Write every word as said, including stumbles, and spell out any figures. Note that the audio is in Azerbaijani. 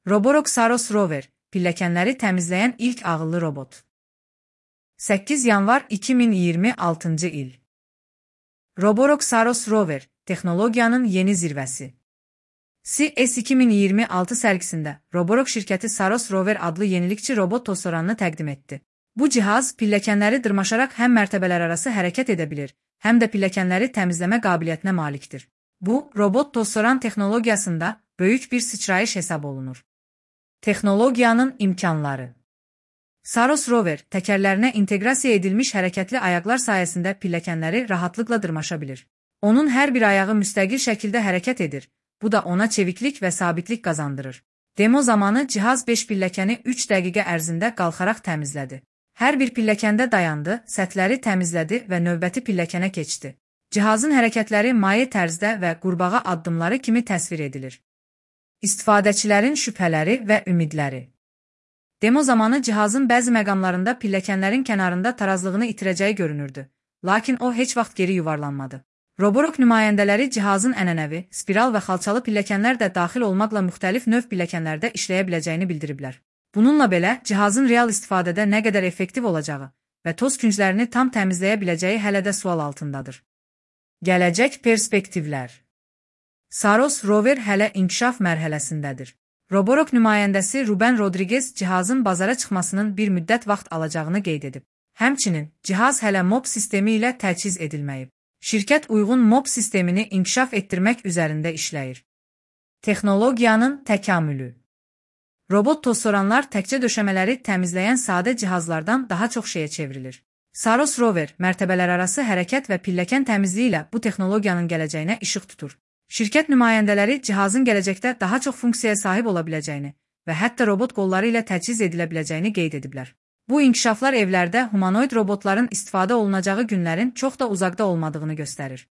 Roborock Saros Rover, pilləkənləri təmizləyən ilk ağıllı robot. səkkiz yanvar iki min iyirmi altıncı il. Roborock Saros Rover, texnologiyanın yeni zirvəsi. C E S iki min iyirmi altı sərgisində Roborock şirkəti Saros Rover adlı yenilikçi robot tozsoranını təqdim etdi. Bu cihaz pilləkənləri dırmaşaraq həm mərtəbələr arası hərəkət edə bilir, həm də pilləkənləri təmizləmə qabiliyyətinə malikdir. Bu, robot tozsoran texnologiyasında böyük bir sıçrayış hesab olunur. Texnologiyanın imkanları. Saros Rover təkərlərinə inteqrasiya edilmiş hərəkətli ayaqlar sayəsində pilləkənləri rahatlıqla dırmaşa bilir. Onun hər bir ayağı müstəqil şəkildə hərəkət edir. Bu da ona çeviklik və sabitlik qazandırır. Demo zamanı cihaz beş pilləkəni üç dəqiqə ərzində qalxaraq təmizlədi. Hər bir pilləkəndə dayandı, səthləri təmizlədi və növbəti pilləkənə keçdi. Cihazın hərəkətləri maye tərzdə və qurbağa addımları kimi təsvir edilir. İstifadəçilərin şübhələri və ümidləri. Demo zamanı cihazın bəzi məqamlarında pilləkənlərin kənarında tarazlığını itirəcəyi görünürdü, lakin o heç vaxt geri yuvarlanmadı. Roborock nümayəndələri cihazın ənənəvi, spiral və xalçalı pilləkənlər də daxil olmaqla müxtəlif növ pilləkənlərdə işləyə biləcəyini bildiriblər. Bununla belə, cihazın real istifadədə nə qədər effektiv olacağı və toz künclərini tam təmizləyə biləcəyi hələ də sual altındadır. Gələcək perspektivlər. Saros Rover hələ inkişaf mərhələsindədir. Roborock nümayəndəsi Ruben Rodriguez cihazın bazara çıxmasının bir müddət vaxt alacağını qeyd edib. Həmçinin, cihaz hələ M O B sistemi ilə təchiz edilməyib. Şirkət uyğun M O B sistemini inkişaf etdirmək üzərində işləyir. Texnologiyanın təkamülü. Robot tozsoranlar təkcə döşəmələri təmizləyən sadə cihazlardan daha çox şeyə çevrilir. Saros Rover mərtəbələrarası hərəkət və pilləkən təmizliyi ilə bu texnologiyanın gələcəyinə işıq tutur. Şirkət nümayəndələri cihazın gələcəkdə daha çox funksiyaya sahib ola biləcəyini və hətta robot qolları ilə təchiz edilə biləcəyini qeyd ediblər. Bu inkişaflar evlərdə humanoid robotların istifadə olunacağı günlərin çox da uzaqda olmadığını göstərir.